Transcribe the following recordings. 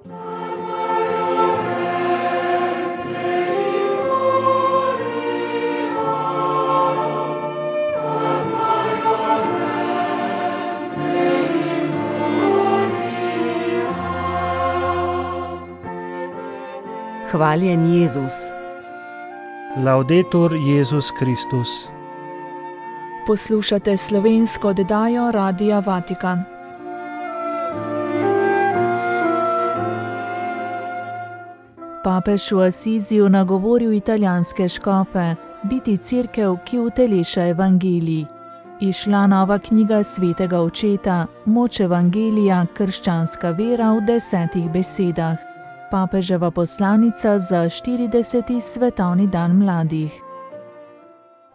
Hvaljen Jezus. Laudetur Jezus Kristus. Poslušate slovensko oddajo Radia Vatikan. Papež v Asiziju nagovoril italijanske škofe, biti cerkev, ki uteleša evangelij. Izšla nova knjiga svetega očeta, Moč evangelija, krščanska vera v 10 besedah. Papeževa poslanica za 40. svetovni dan mladih.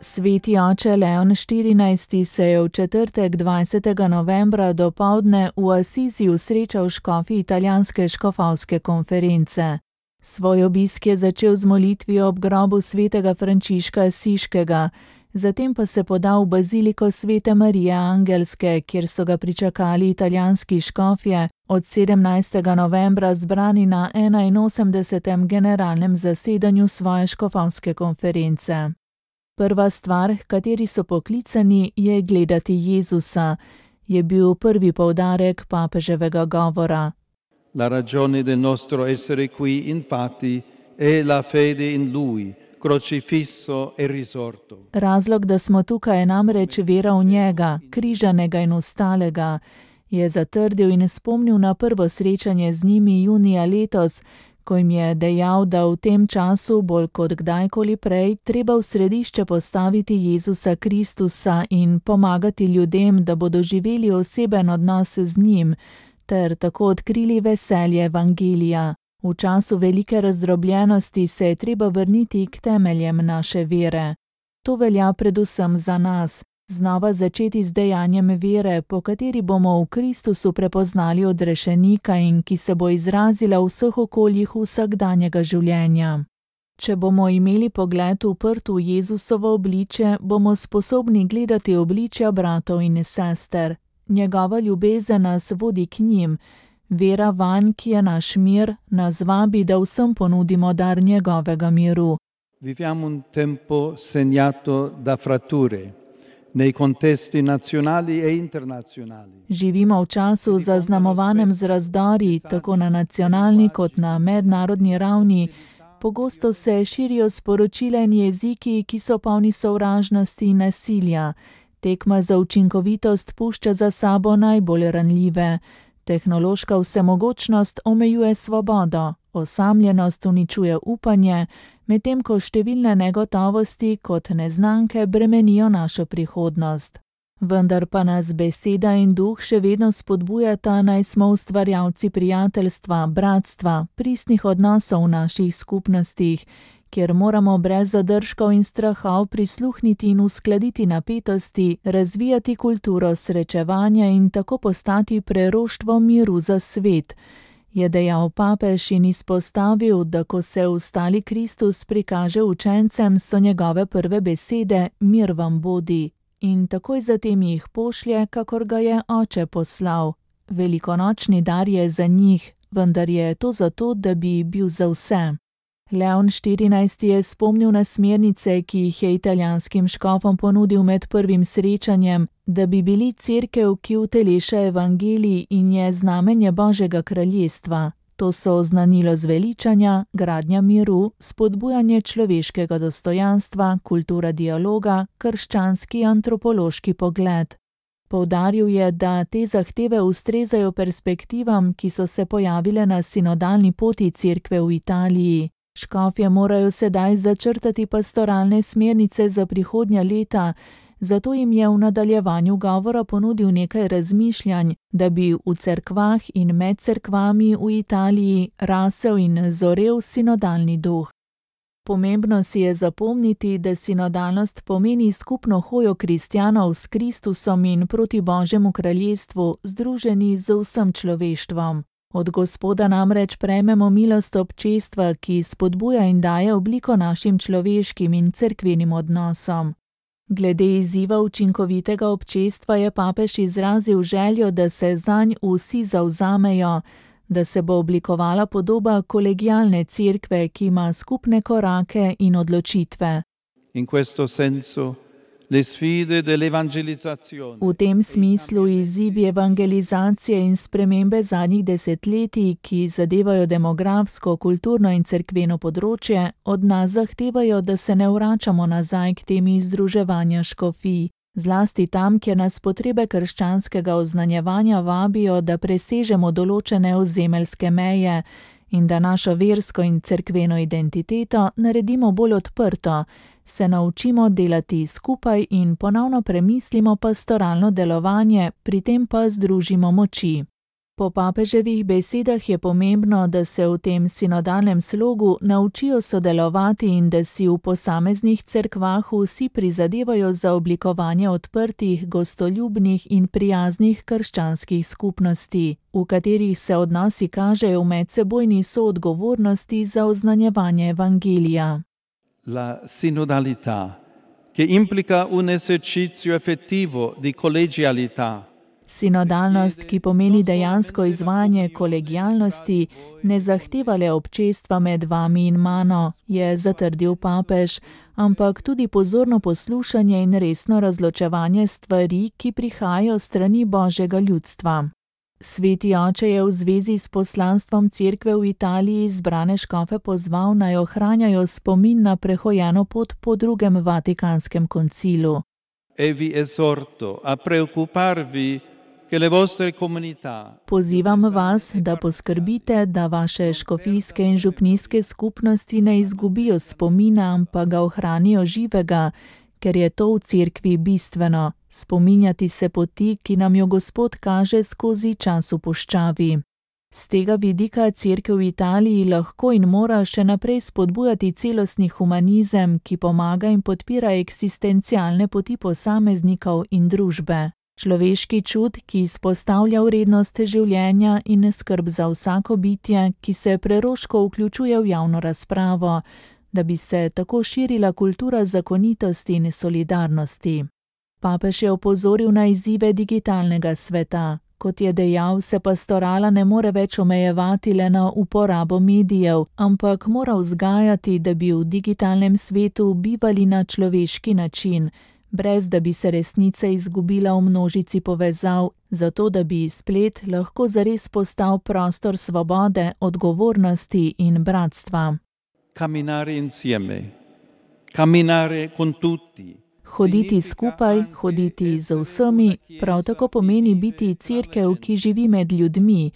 Sveti oče Leon XIV. Se je v četrtek 20. novembra dopoldne v Asiziju srečal s škofi italijanske škofovske konference. Svoj obisk je začel z molitvijo ob grobu svetega Frančiška Asiškega, zatem pa se podal v baziliko Svete Marije Angelske, kjer so ga pričakali italijanski škofje, od 17. novembra zbrani na 81. generalnem zasedanju svoje škofovske konference. Prva stvar, kateri so poklicani, je gledati Jezusa, je bil prvi poudarek papeževega govora. La ragione del nostro essere qui, infatti, è la fede in Lui, crocifisso e risorto. Razlog, da smo tukaj, je namreč vera v njega, križanega in vstalega, je zatrdil in spomnil na prvo srečanje z njimi junija letos, ko jim je dejal, da v tem času, bolj kot kdajkoli prej, treba v središče postaviti Jezusa Kristusa in pomagati ljudem, da bodo živeli oseben odnos z njim, ter tako odkrili veselje evangelija. V času velike razdrobljenosti se je treba vrniti k temeljem naše vere. To velja predvsem za nas. Znova začeti z dejanjem vere, po kateri bomo v Kristusu prepoznali odrešenika in ki se bo izrazila v vseh okoljih vsakdanjega življenja. Če bomo imeli pogled uprt v Jezusovo obličje, bomo sposobni gledati obličja bratov in sester. Njegova ljubezen nas vodi k njim. Vera vanj, ki je naš mir, nas vabi, da vsem ponudimo dar njegovega miru. Viviamo un tempo segnato da fratture nei contesti nazionali e internazionali. Živimo v času zaznamovanem z razdori, tako na nacionalni kot na mednarodni ravni. Pogosto se širijo sporočila in jeziki, ki so polni sovražnosti in nasilja. Tekma za učinkovitost pušča za sabo najbolj ranljive. Tehnološka vsemogočnost omejuje svobodo, osamljenost uničuje upanje, medtem ko številne negotovosti kot neznanke bremenijo našo prihodnost. Vendar pa nas beseda in duh še vedno spodbujata, naj smo ustvarjalci prijateljstva, bratstva, pristnih odnosov v naših skupnostih, kjer moramo brez zadržkov in strahov prisluhniti in uskladiti napetosti, razvijati kulturo srečevanja in tako postati preroštvo miru za svet, je dejal papež in izpostavil, da ko se vstali Kristus prikaže učencem, so njegove prve besede: mir vam bodi, in takoj zatem jih pošlje, kakor ga je oče poslal. Velikonočni dar je za njih, vendar je to zato, da bi bil za vse. Leon XIV. Je spomnil na smernice, ki jih je italijanskim škofom ponudil med prvim srečanjem, da bi bili cerkev, ki uteleša evangelij in je znamenje Božjega kraljestva. To so oznanilo zveličanja, gradnja miru, spodbujanje človeškega dostojanstva, kultura dialoga, krščanski antropološki pogled. Poudaril je, da te zahteve ustrezajo perspektivam, ki so se pojavile na sinodalni poti cerkve v Italiji. Škofje morajo sedaj začrtati pastoralne smernice za prihodnja leta, zato jim je v nadaljevanju govora ponudil nekaj razmišljanj, da bi v cerkvah in med cerkvami v Italiji rasel in zorel sinodalni duh. Pomembno si je zapomniti, da sinodalnost pomeni skupno hojo kristjanov s Kristusom in proti Božjemu kraljestvu, združeni z vsem človeštvom. Od Gospoda namreč prejmemo milost občestva, ki spodbuja in daje obliko našim človeškim in cerkvenim odnosom. Glede izziva učinkovitega občestva je papež izrazil željo, da se zanj vsi zavzamejo, da se bo oblikovala podoba kolegialne cerkve, ki ima skupne korake in odločitve. In questo senso le sfide dell'evangelizzazione. V tem smislu izzivi evangelizacije in spremembe zadnjih desetletij, ki zadevajo demografsko, kulturno in cerkveno področje, od nas zahtevajo, da se ne vračamo nazaj k temi združevanja škofij. Zlasti tam, kjer nas potrebe krščanskega oznanjevanja vabijo, da presežemo določene ozemeljske meje in da našo versko in cerkveno identiteto naredimo bolj odprto, se naučimo delati skupaj in ponovno premislimo pastoralno delovanje, pri tem pa združimo moči. Po papeževih besedah je pomembno, da se v tem sinodalnem slogu naučijo sodelovati in da si v posameznih cerkvah vsi prizadevajo za oblikovanje odprtih, gostoljubnih in prijaznih krščanskih skupnosti, v katerih se odnosi kažejo v medsebojni soodgovornosti za oznanjevanje evangelija. La sinodalità, che implica un esercizio effettivo di collegialità. Sinodalnost, ki pomeni dejansko izvajanje kolegialnosti, ne zahteva le občestva med vami in mano, je zatrdil papež, ampak tudi pozorno poslušanje in resno razločevanje stvari, ki prihajajo strani Božjega ljudstva. Sveti oče je v zvezi s poslanstvom cerkve v Italiji izbrane škofe pozval, naj ohranjajo spomin na prehojeno pot po drugem Vatikanskem koncilu. E vi esorto a preoccuparvi che le vostre comunità. Pozivam vas, da poskrbite, da vaše škofijske in župnijske skupnosti ne izgubijo spomina, ampak ga ohranijo živega, ker je to v cerkvi bistveno, spominjati se poti, ki nam jo Gospod kaže skozi čas v puščavi. Z tega vidika cerkev v Italiji lahko in mora še naprej spodbujati celostni humanizem, ki pomaga in podpira eksistencialne poti posameznikov in družbe. Človeški čut, ki izpostavlja vrednost življenja in skrb za vsako bitje, ki se preroško vključuje v javno razpravo, da bi se tako širila kultura zakonitosti in solidarnosti. Papež je opozoril na izzive digitalnega sveta. Kot je dejal, se pastorala ne more več omejevati le na uporabo medijev, ampak mora vzgajati, da bi v digitalnem svetu bivali na človeški način, brez da bi se resnica izgubila v množici povezav, zato da bi splet lahko zares postal prostor svobode, odgovornosti in bratstva. Camminare insieme, camminare con tutti. Hoditi skupaj, hoditi z vsemi, prav tako pomeni biti cerkev, ki živi med ljudmi,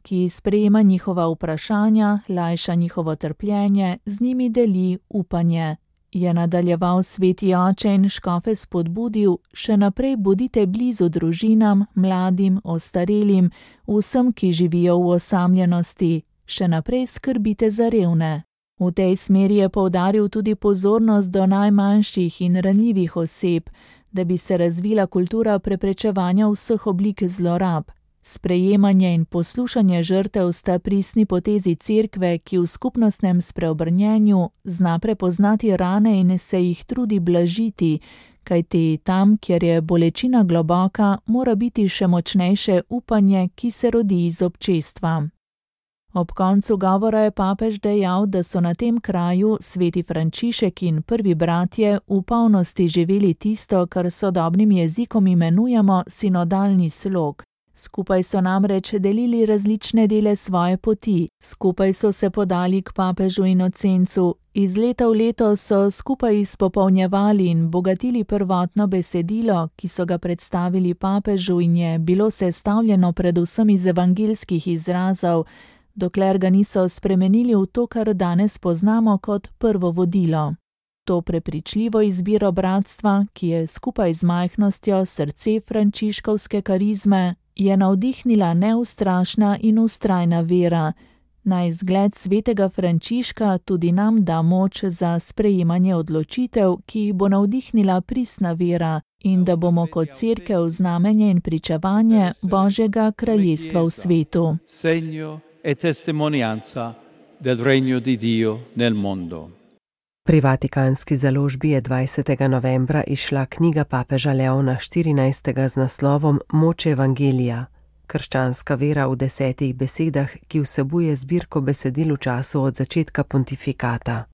ki sprejema njihova vprašanja, lajša njihovo trpljenje, z njimi deli upanje. Je nadaljeval sveti oče in škofe spodbudil, še naprej bodite blizu družinam, mladim, ostarelim, vsem, ki živijo v osamljenosti, še naprej skrbite za revne. V tej smeri je poudaril tudi pozornost do najmanjših in ranljivih oseb, da bi se razvila kultura preprečevanja vseh oblik zlorab. Sprejemanje in poslušanje žrtev sta pristni potezi cerkve, ki v skupnostnem spreobrnjenju zna prepoznati rane in se jih trudi blažiti, kajti tam, kjer je bolečina globoka, mora biti še močnejše upanje, ki se rodi iz občestva. Ob koncu govora je papež dejal, da so na tem kraju sveti Frančišek in prvi bratje v polnosti živeli tisto, kar s sodobnim jezikom imenujemo sinodalni slog. Skupaj so namreč delili različne dele svoje poti, skupaj so se podali k papežu Inocencu, iz leta v leto so skupaj izpopolnjevali in bogatili prvotno besedilo, ki so ga predstavili papežu in je bilo sestavljeno predvsem iz evangeljskih izrazov, dokler ga niso spremenili v to, kar danes poznamo kot prvo vodilo. To prepričljivo izbiro bratstva, ki je skupaj z majhnostjo srce frančiškovske karizme, je navdihnila neustrašna in vztrajna vera. Naj zgled svetega Frančiška tudi nam da moč za sprejemanje odločitev, ki jih bo navdihnila pristna vera, in da bomo kot cerkev znamenje in pričevanje Božjega kraljestva v svetu. Segno e testimonianza del regno di Dio nel mondo. Pri Vatikanski založbi je 20. novembra izšla knjiga papeža Leona XIV. Z naslovom Moč evangelija. Krščanska vera v 10 besedah, ki vsebuje zbirko besedil v času od začetka pontifikata.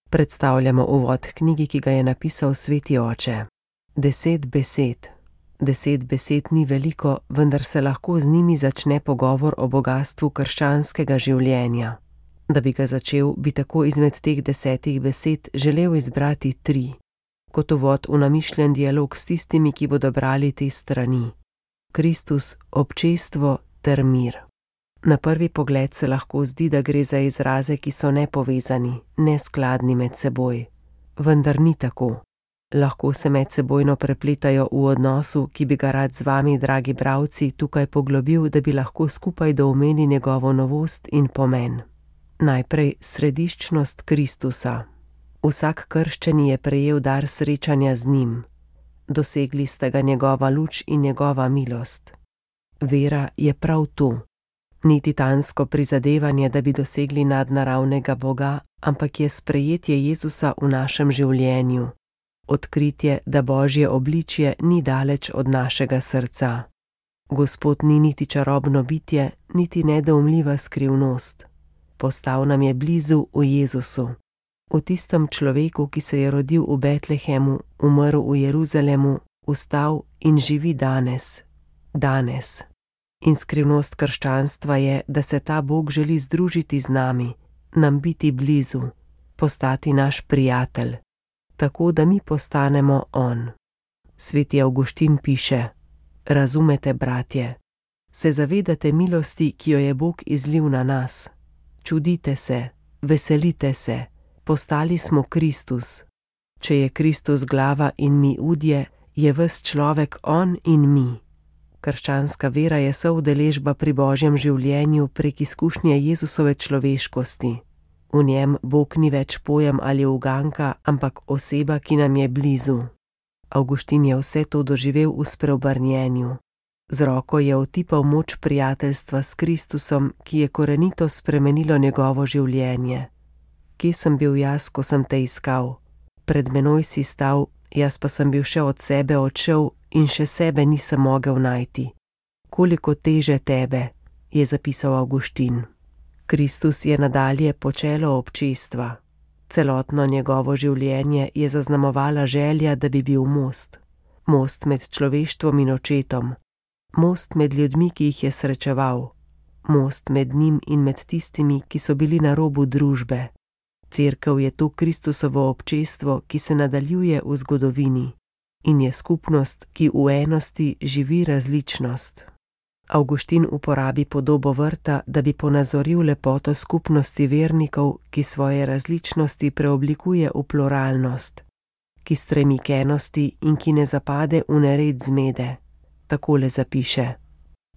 Predstavljamo uvod knjigi, ki ga je napisal sveti oče. 10 besed. 10 besed ni veliko, vendar se lahko z njimi začne pogovor o bogastvu krščanskega življenja. Da bi ga začel, bi tako izmed teh 10 besed želel izbrati 3. Kot uvod v namišljen dialog s tistimi, ki bodo brali te strani. Kristus, občestvo ter mir. Na prvi pogled se lahko zdi, da gre za izraze, ki so nepovezani, neskladni med seboj. Vendar ni tako. Lahko se medsebojno prepletajo v odnosu, ki bi ga rad z vami, dragi bralci, tukaj poglobil, da bi lahko skupaj doumeli njegovo novost in pomen. Najprej središčnost Kristusa. Vsak krščeni je prejel dar srečanja z njim. Dosegli sta ga njegova luč in njegova milost. Vera je prav to. Ni titansko prizadevanje, da bi dosegli nadnaravnega Boga, ampak je sprejetje Jezusa v našem življenju. Odkritje, da Božje obličje ni daleč od našega srca. Gospod ni niti čarobno bitje, niti nedoumljiva skrivnost. Postal nam je blizu v Jezusu. V tistem človeku, ki se je rodil v Betlehemu, umrl v Jeruzalemu, vstal in živi danes. Danes. In skrivnost krščanstva je, da se ta Bog želi združiti z nami, nam biti blizu, postati naš prijatelj, tako da mi postanemo on. Sveti Avguštin piše: Razumete, bratje, se zavedate milosti, ki jo je Bog izlil na nas. Čudite se, veselite se, postali smo Kristus. Če je Kristus glava in mi udje, je ves človek on in mi. Krščanska vera je soudeležba pri Božjem življenju prek izkušnje Jezusove človeškosti. V njem Bog ni več pojem ali uganka, ampak oseba, ki nam je blizu. Avguštin je vse to doživel v spreobrnjenju. Z roko je otipal moč prijateljstva s Kristusom, ki je korenito spremenilo njegovo življenje. Kje sem bil jaz, ko sem te iskal? Pred menoj si stal, jaz pa sem bil še od sebe odšel in še sebe nisem mogel najti. Koliko teže tebe, je zapisal Avguštin. Kristus je nadalje počelo občestva. Celotno njegovo življenje je zaznamovala želja, da bi bil most. Most med človeštvom in očetom. Most med ljudmi, ki jih je srečeval. Most med njim in med tistimi, ki so bili na robu družbe. Cerkev je to Kristusovo občestvo, ki se nadaljuje v zgodovini. In je skupnost, ki v enosti živi različnost. Avguštin uporabi podobo vrta, da bi ponazoril lepoto skupnosti vernikov, ki svoje različnosti preoblikuje v pluralnost, ki stremi k enosti in ki ne zapade v nered zmede. Takole zapiše: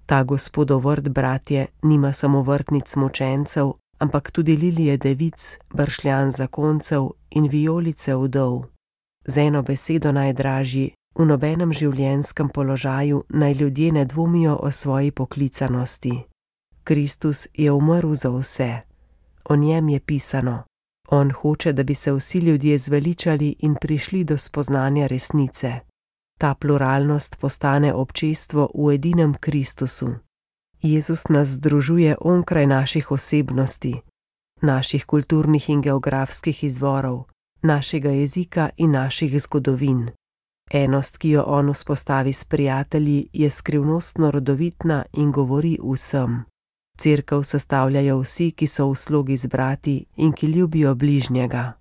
Ta Gospodov vrt, bratje, nima samo vrtnic mučencev, ampak tudi lilije devic, bršljan zakoncev in vijolice vdov. Z eno besedo najdražji, v nobenem življenjskem položaju naj ljudje ne dvomijo o svoji poklicanosti. Kristus je umrl za vse. O njem je pisano: On hoče, da bi se vsi ljudje zveličali in prišli do spoznanja resnice. Ta pluralnost postane občestvo v edinem Kristusu. Jezus nas združuje onkraj naših osebnosti, naših kulturnih in geografskih izvorov, našega jezika in naših zgodovin. Enost, ki jo on vzpostavi s prijatelji, je skrivnostno rodovitna in govori vsem. Cerkev sestavljajo vsi, ki so v slogi z brati in ki ljubijo bližnjega.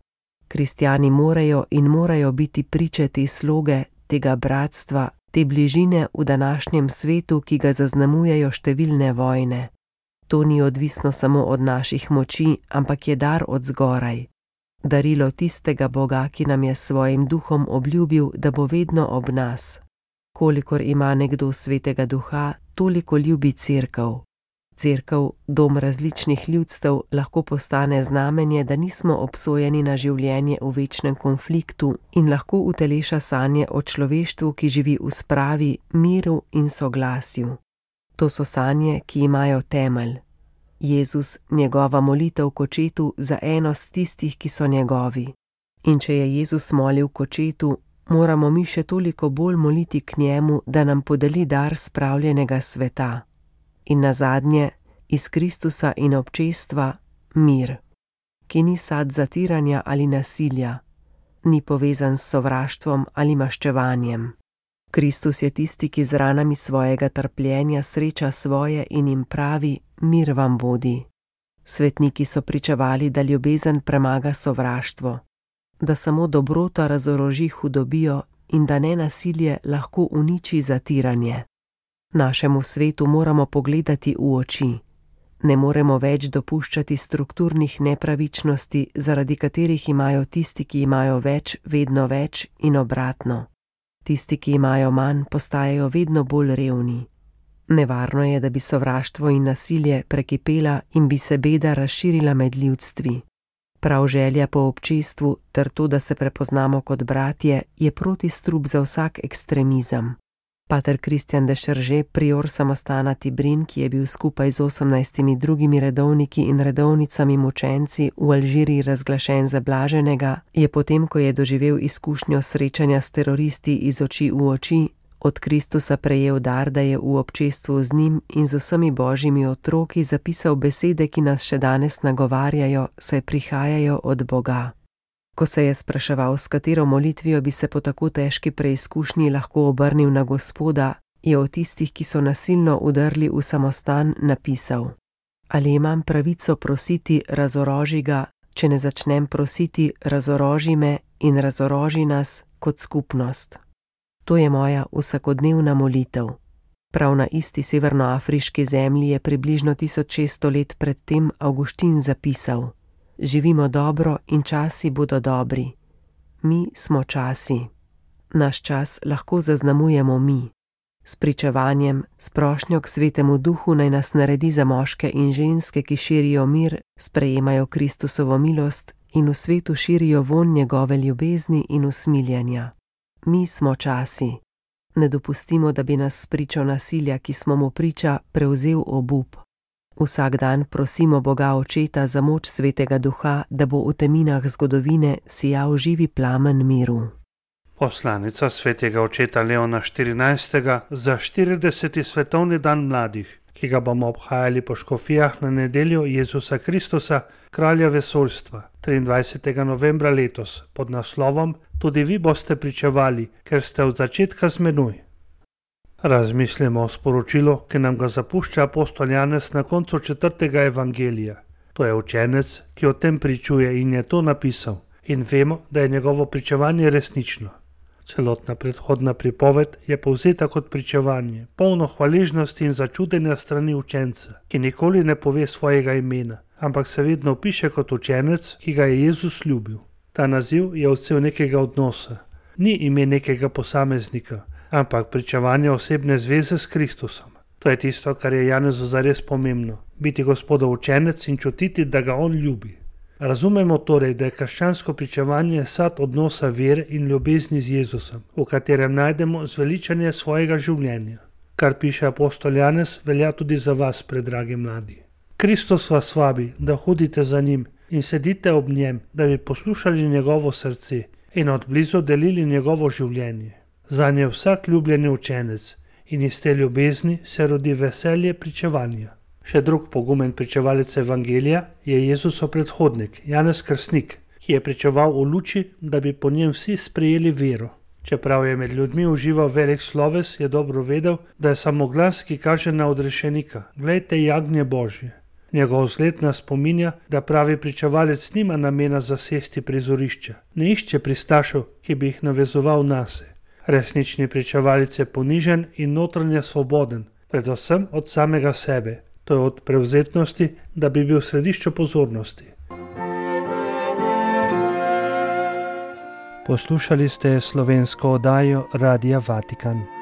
Kristjani morajo biti priče te sloge, tega bratstva, te bližine v današnjem svetu, ki ga zaznamujejo številne vojne. To ni odvisno samo od naših moči, ampak je dar od zgoraj. Darilo tistega Boga, ki nam je s svojim duhom obljubil, da bo vedno ob nas. Kolikor ima nekdo svetega duha, toliko ljubi cerkev. Cerkev, dom različnih ljudstev, lahko postane znamenje, da nismo obsojeni na življenje v večnem konfliktu in lahko uteleša sanje o človeštvu, ki živi v spravi, miru in soglasju. To so sanje, ki imajo temelj. Jezus, njegova molitev k očetu za enost tistih, ki so njegovi. In če je Jezus molil k očetu, moramo mi še toliko bolj moliti k njemu, da nam podeli dar spravljenega sveta. in nazadnje iz Kristusa in občestva mir, ki ni sad zatiranja ali nasilja, ni povezan s sovraštvom ali maščevanjem. Kristus je tisti, ki z ranami svojega trpljenja sreča svoje in jim pravi: mir vam vodi. Svetniki so pričevali, da ljubezen premaga sovraštvo, da samo dobrota razoroži hudobijo in da nenasilje lahko uniči zatiranje. Našemu svetu moramo pogledati v oči. Ne moremo več dopuščati strukturnih nepravičnosti, zaradi katerih imajo tisti, ki imajo več, vedno več in obratno. Tisti, ki imajo manj, postajajo vedno bolj revni. Nevarno je, da bi sovraštvo in nasilje prekipela in bi se beda razširila med ljudstvi. Prav želja po občestvu ter to, da se prepoznamo kot bratje, je protistrup za vsak ekstremizem. Pater Kristjan de Šerže, prior samostana Tibrin, ki je bil skupaj z 18 drugimi redovniki in redovnicami mučenci v Alžiriji razglašen za blaženega, je potem, ko je doživel izkušnjo srečanja s teroristi iz oči v oči, od Kristusa prejel dar, da je v občestvu z njim in z vsemi božjimi otroki zapisal besede, ki nas še danes nagovarjajo, saj prihajajo od Boga. Ko se je spraševal, s katero molitvijo bi se po tako težki preizkušnji lahko obrnil na Gospoda, je o tistih, ki so nasilno udrli v samostan, napisal: ali imam pravico prositi, razoroži ga, če ne začnem prositi, razoroži me in razoroži nas kot skupnost. To je moja vsakodnevna molitev. Prav na isti severnoafriški zemlji je približno 1600 let predtem Avguštin zapisal: živimo dobro in časi bodo dobri. Mi smo časi. Naš čas lahko zaznamujemo mi. S pričevanjem, s prošnjo k Svetemu Duhu naj nas naredi za moške in ženske, ki širijo mir, sprejemajo Kristusovo milost in v svetu širijo vonj njegove ljubezni in usmiljanja. Mi smo časi. Ne dopustimo, da bi nas spričo nasilja, ki smo mu priča, prevzel obup. Vsak dan prosimo Boga Očeta za moč Svetega Duha, da bo v teminah zgodovine sijal živi plamen miru. Poslanica Svetega Očeta Leona XIV. Za 40. svetovni dan mladih, ki ga bomo obhajali po škofijah na nedeljo Jezusa Kristusa, kralja vesoljstva, 23. novembra letos, pod naslovom Tudi vi boste pričevali, ker ste od začetka z menoj. Razmislimo o sporočilu, ki nam ga zapušča apostol Janez na koncu 4. evangelija. To je učenec, ki o tem pričuje in je to napisal, in vemo, da je njegovo pričevanje resnično. Celotna predhodna pripoved je povzeta kot pričevanje, polno hvaležnosti in začudenja strani učenca, ki nikoli ne pove svojega imena, ampak se vedno opiše kot učenec, ki ga je Jezus ljubil. Ta naziv je odsev nekega odnosa, ni ime nekega posameznika, ampak pričevanje osebne zveze s Kristusom. To je tisto, kar je Janezu zares pomembno, biti Gospodov učenec in čutiti, da ga on ljubi. Razumemo torej, da je krščansko pričevanje sad odnosa vere in ljubezni z Jezusom, v katerem najdemo zveličanje svojega življenja. Kar piše apostol Janez, velja tudi za vas, predragi mladi. Kristus vas vabi, da hodite za njim in sedite ob njem, da bi poslušali njegovo srce in odblizu delili njegovo življenje. Zanj je vsak ljubljeni učenec in iz te ljubezni se rodi veselje pričevanja. Še drug pogumen pričevalec evangelija je Jezusov predhodnik, Janez Krstnik, ki je pričeval v luči, da bi po njem vsi sprejeli vero. Čeprav je med ljudmi užival velik sloves, je dobro vedel, da je samo glas, ki kaže na odrešenika: glejte, jagnje Božje. Njegov zgled nas spominja, da pravi pričevalec nima namena zasesti prizorišča, ne išče pristašev, ki bi jih navezoval nase. Resnični pričevalec je ponižen in notranje svoboden, predvsem od samega sebe. To je od prevzetnosti, da bi bil v središču pozornosti. Poslušali ste slovensko oddajo Radia Vatikan.